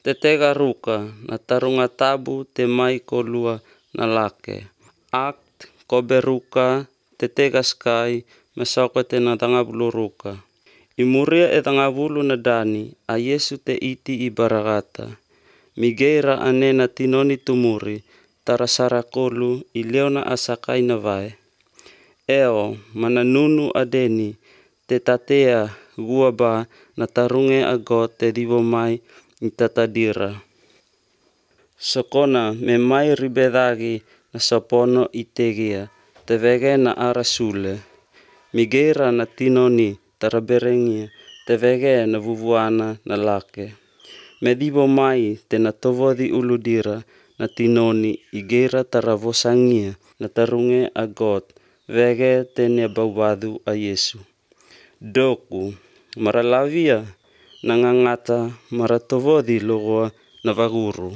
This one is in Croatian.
te tega ruka na tarunga tabu te mai kolua na lake. Akt kobe ruka te tega skai mesoko te na tangabulu ruka. Imuria e tangabulu na dani a Yesu te iti I baragata. Migeira anena tinoni tumuri tara sarakolu I leona asakai na vai. Eo mananunu adeni te tatea guaba na tarunge ago te divo mai I tatadira. Sokona me mai ribedagi na sapono I tegia te vege na arasule. Migeira na tinoni taraberengia te vege na vuvuana na lake. Me divo mai te na tovodi uludira na tinoni igeira taravosangia na tarunge agot vege te ne baubadu a Yesu. Doku maralavia na ngangata maratovodi logoa na vaguru.